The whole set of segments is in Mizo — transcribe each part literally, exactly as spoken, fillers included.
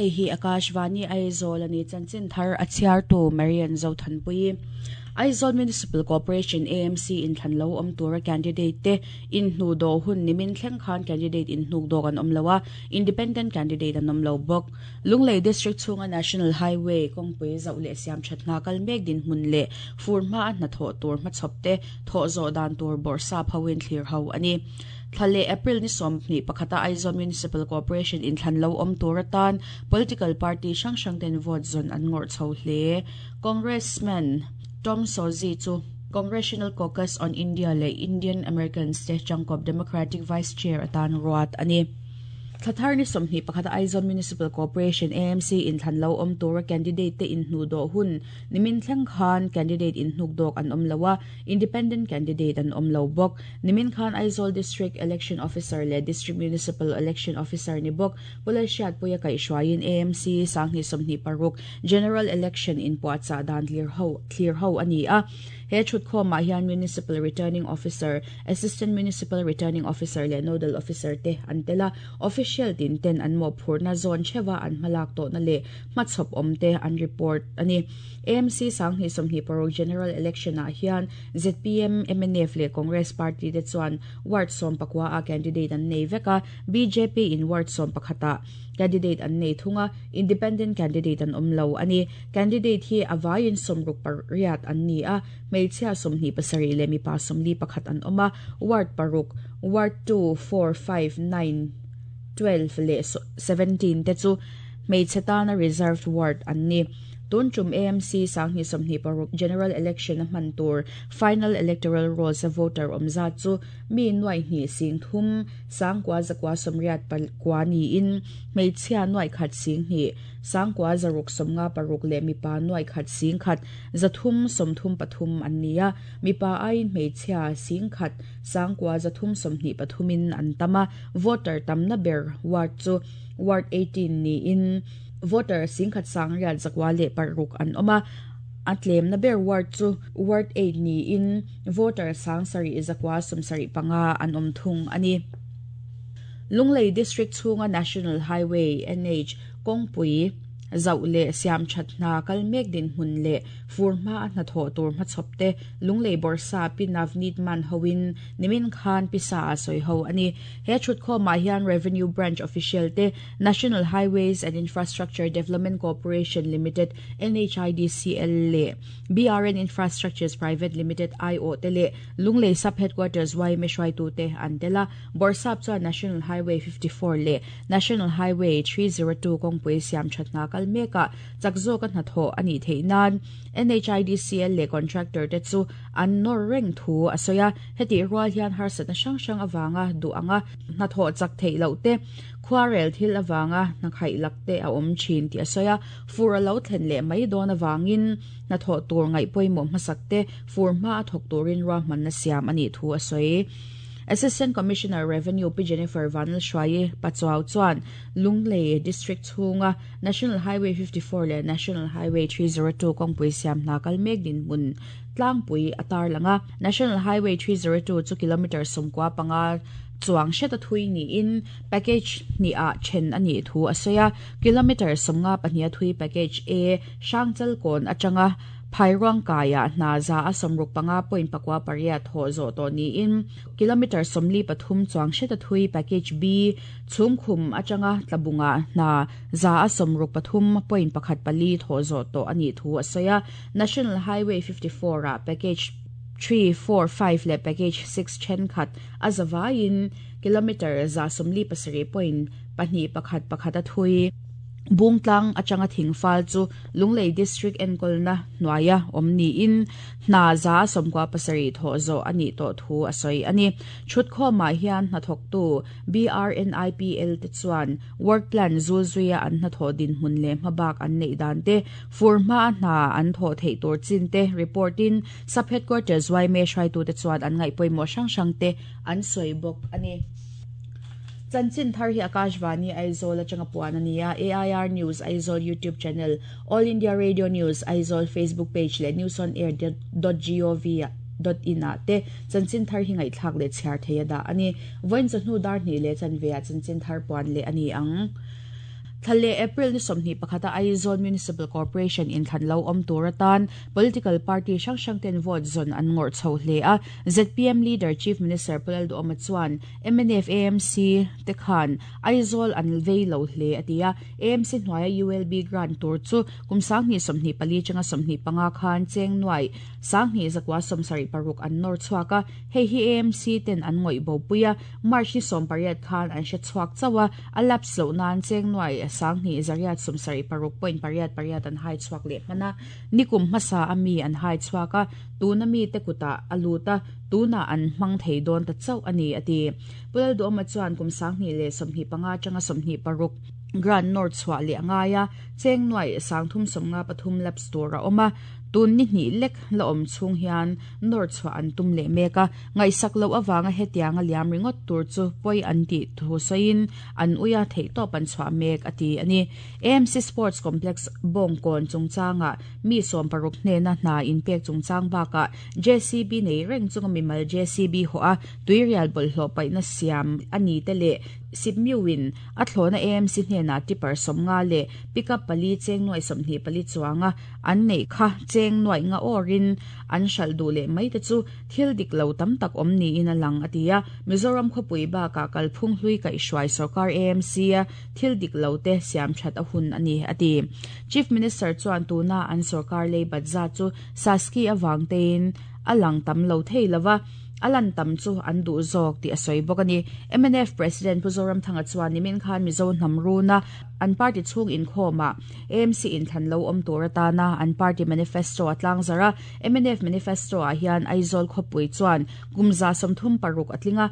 Hei hi Akashvani Aizawl ani chanchin thar a chhiartu Marian Zothanpui. Aizawl Municipal Corporation A M C in thlan lo awm tura candidate te in hnu do hun nimin thleng khan candidate in hnuk dawk an awm loa, independent candidate an awm lo bawk. Lunglei District chhunga National Highway kawngpui zauh leh siam that hna kal mek din hmun leh fur hma a hnathawh tur hmachhawp te thawh zawh dan tur bawrhsap hoin thlir ho ani. Thlale April ni sawm hnih pakhata Aizawl Municipal Corporation in thlan lo awm tur atan political party hrang hrang ten vote zawn an ngawrh chho hle. Congressman Tom Suozzi chu Congressional Caucus on India leh Indian Americans te tangkawp Democratic Vice Chair atan ruat ani. Thlathar ni sawmhnih pakhat Aizawl Municipal Corporation A M C in thlan lo awm tura candidate te in hnu do hun nimin thleng khan candidate in hnuk dawk an awm loa, independent candidate an awm lo bawk. Nimin khan Aizawl District Election Officer leh District Municipal Election Officer ni bawk Pulai Hriat Puia kai hruaiin A M C sanghnih sawmhnih paruk General Election in puahchah dan thlir ho thlir ho ani a. He thut khawmah hian Municipal Returning Officer, Assistant Municipal Returning Officer leh Nodal Officer te an tela. Official tin ten an mo phurna zawn thewa an hmalak to na leh hmachhawp awm te an report ani. A M C sanghnih sawmhnih paruk General Election ah hian Z P M, M N F leh Congress Party te chuan ward sawm pakua a candidate an nei veka. B J P in ward sawm pakhata candidate an nei thunga, independent candidate an awm lo ani. Candidate hi avaiin sawmruk pariat an ni a, hmeichhia sawmhnih pasarih leh mipa sawmli pakhat an awm a. Ward paruk, ward two, four, five, nine, twelve leh seventeen te chu hmeichhe tana reserved ward an ni. Tun tum A M C sanghnih sawmhnih paruk General Election a hman tur final electoral rolls a voter awmzat chu mi nuai hnih sing thum sangkua zakua sawmriat pakua niin hmeichhia nuai khat sing hnih sangkua zaruk sawmnga paruk leh mipa nuai khat sing khat zathum sawmthum pathum an ni a. Mipa aiin hmeichhia sing khat sangkua zathum sawmhnih pathumin an tama. Voter tamna ber ward chu ward eighteen niin voter singkhat sangriat zakwa leh paruk an awma. A tlem na ber ward chu ward eight niin voter sang sari zakwa sawmsarih panga an awm thung ani. Lunglei District chhunga National Highway N H kawngpui zauh leh siam that hna kal mek din hmun leh fur hma a hnathawh tur hmachhawp te Lunglei Bawrhsap Pi Navneet Man hoin nimin khan pisa a sawi ho ani. He thut khawmah hian Revenue Branch official te, National Highways and Infrastructure Development Corporation Limited N H I D C L leh B R N Infrastructures Private Limited I O te leh Lunglei Sub Headquarters Y M A hruaitu te an tela. Bawrhsap chuan National Highway fifty-four leh National Highway three oh two kawngpui siam that hna kal meka chak zawk a hnathawh ani theih nan N H I D C L leh contractor te chu an nawr reng thu a sawi a. Heti rual hian harsatna hrang hrang awanga duh anga hnathawh chak theih loh te, khuarel thil awanga hna lak te a awm thin tih a sawi a. Fur a lo thlen leh mai dawn awangin hnathawh tur ngaih pawimawh hmasak te fur hma a thawk turin ruahmanna siam ani thu a sawi. Assistant Commissioner Revenue Pi Jennifer Vanlalhruaii Pachuau chuan Lunglei District chhunga National Highway fifty-four leh National Highway three oh two kawngpui siam hna kal mek din hmun tlangpui a tarlanga. National Highway three oh two chu kilometer sawmkua panga chuang hreta thui niin package ni a then ani thu a sawi a. Kilometer sawmnga pahnih a thui package A, Hrangchal kawn atanga Phairuang kaya hna za a sawmruk panga point pakua pariat haw zawh tawh niin kilometer sawmli pathum chuang hreta thui package B, Chhumkhum atanga Tlabunga hna za a sawmruk pathum point pakhat pali thaw zawh tawh ani thu a sawi a. National Highway fifty-four a package three, four, five leh package six then khat a zawaiin kilometer za sawmli pasarih point pahnih pakhat pakhat a thui Bungtlang atanga Thingfal chu Lunglei District enkawlna hnuaia awm niin hna za sawmkua pasarih thawh zawh ani tawh thu a sawi ani. Thut khawmah hian hnathawktu B R N I P L te chuan work plan zul zuia an hnathawh din hmun leh hmabak an neih dan te, fur hma a hna an thawh theih tur chin te reportin Sub Headquarters Y M A hruaitu te chuan an ngaih pawimawh hrang hrang te an sawi bawk ani. Chanchin thar hi Akashvani Aizawl atanga puan ania. A I R News Aizawl YouTube channel, All India Radio News Aizawl Facebook page leh newsonair dot gov dot in ah te chanchin thar hi ngaihthlak leh chhiar thei a dah ani. Voin chawhnu dar hnih leh chanve ah chanchin thar puan leh ani ang. Thale April ni somni pakhata Aizawl Municipal Corporation in thlan lo om turatan political party hrang hrang ten vote zon an ngor chho hle a Z P M leader Chief Minister Pu Lalduhoma chuan M N F A M C te khan Aizawl an vei lo hle atia A M C hnuaia U L B grant tur chu kumsang ni somni pali changa somni panga khan cheng nuai sangni zakwa somsari paruk an nor chuaka hei hi A M C ten an ngoi bo puia March ni som pariat khan an she chuak chawa alap slo nan cheng nuai sangni zariat somsari paruk point pariat pariat an hai chuak le mana nikum masa ami an hai chuaka tuna mi te kuta aluta tuna an mang thei don ta chau ani ati Pulal do ma chuan kum sangni le somni panga changa somni paruk Grand North chwa le angaya cheng nuai sangthum somnga pathum lap store oma tun ni ni lek la om chung hian north chwa an tum le meka ngai sak lo awanga hetianga liam ringot tur chu poi an ti thu soin an uya thei to pan chwa mek ati ani A M C Sports Complex bongkon chungchanga mi som paruk hne na na in pek chungchang baka J C B nei reng chunga mi mal J C B ho a tuirial bol hlo pai na siam ani te le sipmiwin a thlona A M C hne na tipper somnga le pickup pali cheng noi somni pali chuanga an nei kha cheng noi nga orin an shal du le mai te chu thil dik lo tam tak om ni in alang atia Mizoram khopui ba ka kalphung hlui kai hruai sarkar A M C a thil dik lo te siam that a hun ani ati Chief Minister chuan tuna an sarkar le badza chu saski awang tein alang tam lo thei lova alan tam chu an du zok ti asoi bokani M N F President Pu Zoramthanga chuan nimin khan Mizo hnamruna an party chung in khoma A M C in than lo om turatana an party manifesto atlang zara M N F manifesto a hian Aizawl khopui chuan gumza somthum paruk atlinga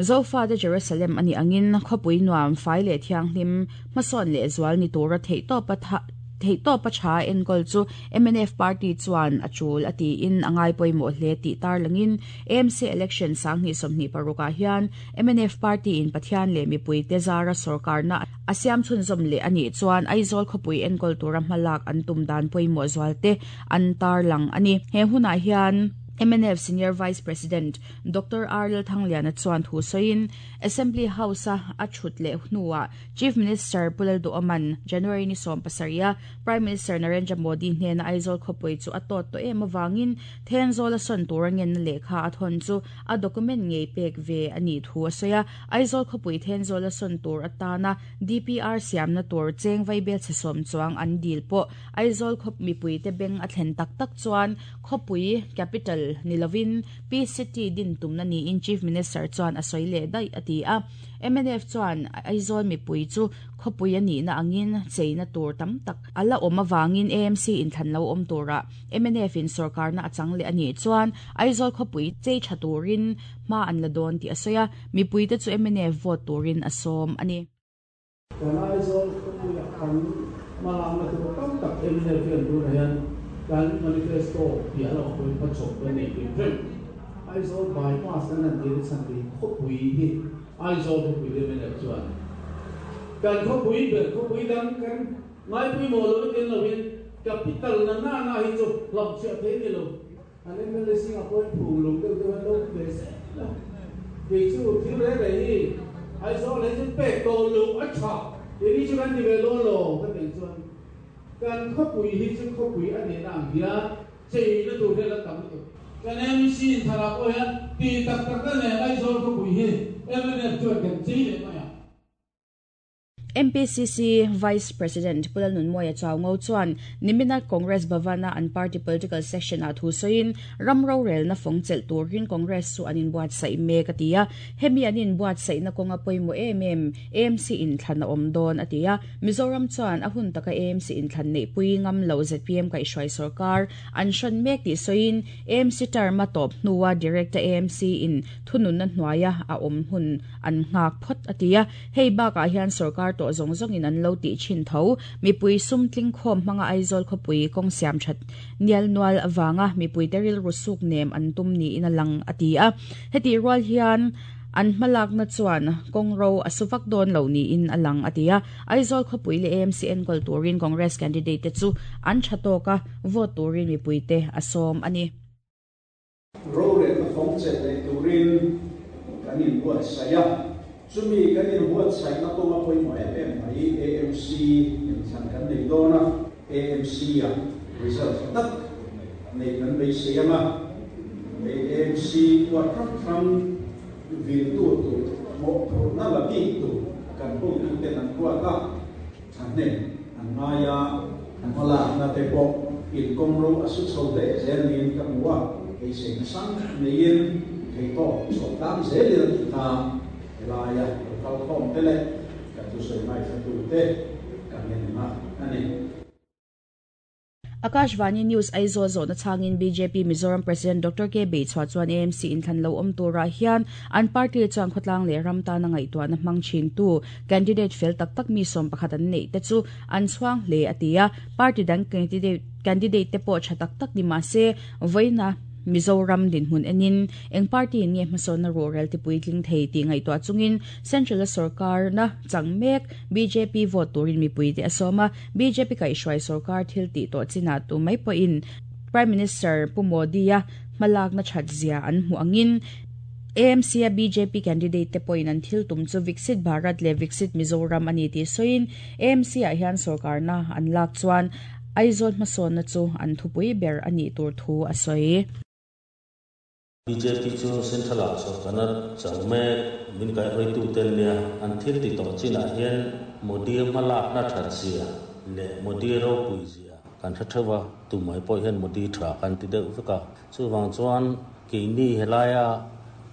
Zofa de Jerusalem ani angin khopui nuam fai le thianghlim mason le zwal ni tura thei to patha thei to pa cha enkol chu M N F party chuan achul ati in angai poimo hle ti tar langin A M C election sangni somni paruka hian M N F party in Pathian le mipui te zara sarkar na asiam chun zom le ani chuan Aizawl khopui enkol tura malak an tum dan poimo zwalte an tar lang ani he huna hian M N F Senior Vice President Doctor Arl Thangliana chuan thu soin Assembly House a achut le hnuwa Chief Minister Pu Lalduhoman January ni som pasaria Prime Minister Narendra Modi hnen Aizawl khopui chu atot to em awangin Thenzawl a son turangen lekha athon chu a document ngei pek ve ani thu asoya Aizawl khopui Thenzawl a son tur atana D P R siam na tur cheng vaibel chesom chuang an dil po Aizawl khop mipui te beng a thlen tak tak chuan khopui capital nilovin P C T din tumna ni in Chief Minister chuan asoi le dai ati a M N F chuan Aizawl mipui chu khopui ani na angin cheina tur tam tak ala om awangin A M C in than lo om tura M N F in sarkar na achang le ani chuan Aizawl khopui chei thaturin ma an la don ti asoya mipui te chu M N F vote turin asom ani kan Aizawl khopui kan malam na tur tam tak M N F hian tur hian kan manifesto pi ala khoi pa chok pe nei pi phem Aizawl bypass kan an ti chan ti khopui hi Aizawl khopui le men chuan kan khopui ber khopui dang kan ngai pui mo lo tin lo in capital na na na hi chu lam che the ni lo an M L A Singapore phu lo deuh deuh lo be se ti chu thil re re hi Aizawl le chu pe to lu a tha ti ni chu kan ti ve lo lo ka ti chuan kan khopui hi chu khopui ani na ang hian chei na tur hian la tam tu kan M C thara pawh hian ti tak tak na nen Aizawl khopui hi M N F chuan kan chei leh mai a M P C C Vice President Pu Lalnunmawia Chuaungo chuan nimina Congress Bhavana an party political section a thu soin ramro rel na fong chel turin Congress chu anin buat sai mek atia hemi anin buat sai na konga poimo em em A M C in thlan a om don atia Mizoram chuan a hun taka A M C in thlan nei pui ngam lo Z P M kai hruai sarkar an hran mek ti soin A M C term a top hnuwa Director A M C in thunun na hnuaia a om hun an ngak phot atia hei baka hian sarkar to zong zong in an lo ti chin tho mipui sum tling khom hmanga Aizawl khopui kong siam that nial nual awanga mipui teril rusuk nem an tum ni in alang atia heti rual hian an hmalak na chuan kongro asuvak don lo ni in alang atia Aizawl khopui le A M C N kol turin Congress candidate te chu an thatoka vote turin mipui te asom ani ro le ka phong che le turin kan in buat saya Chumi kan in huat sai na kawnga pawimawh em em mai A M C inthlan kan nei dawn a, A M C a result tak nei kan beisei anga A M C huat hrang hrang vil tu tur mawhphurhna la bik tur kan hotuten an ruat a, thahnem an ngai a, an hmalakna te pawh inkawngro a su chho hle zel niin ka hmu a, beiseina sang neiin theihtawp chhuah tlang zelin a tih kha helaia lo kal khawm te leh kan thusawi ngaithla te kan en a ani. Akashvani News Aizawl zawhna chhangin B J P Mizoram President Doctor K Beichhua chuan A M C inthlan lo awm turah hian an party chuan khawtlang leh ram tana ngaihtuahna hmang thin tu candidate fel tak tak mi sawm pakhat an neih te chu an chhuang hle a ti a. Party dang candidate candidate te pawh tha tak tak ni mahse voina Mizoram dinhmun enin eng party nge hmasawnna ruhrel ti puitling thei ti ngaihtuah chungin Central Sarkar na changmek B J P vote turin mipui te asawma. B J P kai hruai sarkar thil ti to china tu mai pawhin Prime Minister Pu Modi a hmalak na that zia an hmu angin A M C a B J P candidate te pawhin an thil tum chu Viksit Bharat le Viksit Mizoram ani ti soin A M C a hian sarkar na an lak chuan Aizawl hmasawnna chu an thupui ber ani tur thu a sawi. B J P chu Central ah sarkar changmek min kai hoi tu ten nia an thil ti to china hian Modi hmalak na that zia le Modi ro pui zia kan tha thawa tu mai pawh hian Modi tha kan ti deuh veka. Chuwang chuan keini helaya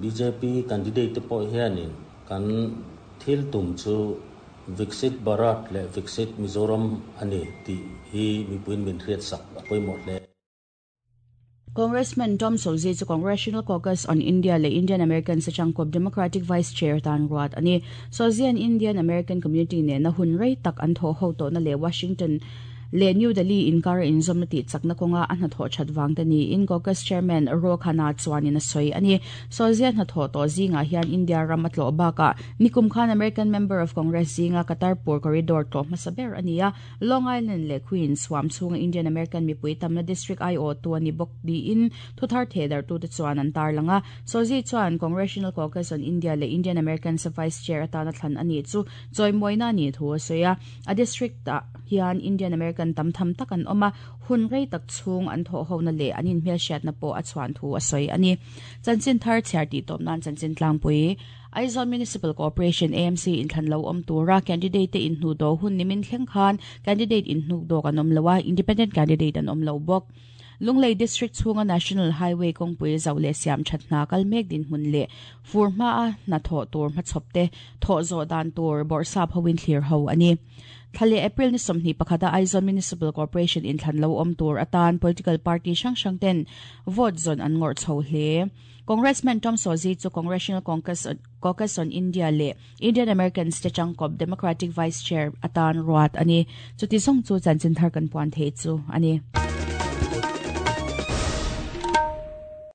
B J P candidate te pawh hianin kan thil tum chu Viksit Bharat le Viksit Mizoram ani ti hi mipuin min hriat sak a pawimawh hle. Congressman Tom Suozzi chu Congressional Caucus on India le Indian American Sachangkop Democratic Vice Chair tan ruat ani. Suozzi an Indian American community ne na hun rei tak an tho ho to na le Washington le New Delhi inkar inzom na ti chakna konga an tho that wang te ni in Caucus Chairman Ro Khanna chuan in a soi ani. Suozzi an tho to zinga hian India ram atlo baka nikum khan American Member of Congress zinga Kartarpur Corridor to masaber ania. Long Island le Queens swam chunga Indian American mipui tamna district I O tu ani bok di in thuthar thedar tu te chuan an tar langa. Suozzi chuan Congressional Caucus on India le Indian American sa Vice Chair atana thlan ani chu choimoina ni thu soya. A district ta hian Indian American tam tham tak an oma hun rei tak chung an tho ho na le anin hmel hriat na pawh a chuan thu a sawi ani. Chanchin thar chhiar ti tawp nan chanchin tlangpui. Aizawl Municipal Corporation A M C inthlan lo awm tura candidate te inhnu do hun nimin thleng khan candidate inhnuk dawk an awm loa, independent candidate an awm lo bawk. Lunglei District chhunga National Highway kawngpui zo leh siam that hna kal mek din hmun leh fur hma a hna thawh tur hmachhawp te thawh zawh dan tur bawrhsap hoin thlir ho ani. Thlale April ni sawmhnih pakhata Aizawl Municipal Corporation inthlan lo awm tur atan political party hrang hrang ten vote zawn an ngawrh chho hle. Congressman Tom Suozzi chu Congressional Caucus, Caucus on India le Indian American te changkop Democratic Vice Chair atan ruat ani. Chuti song chu chanchin thar kan puan thei chu ani.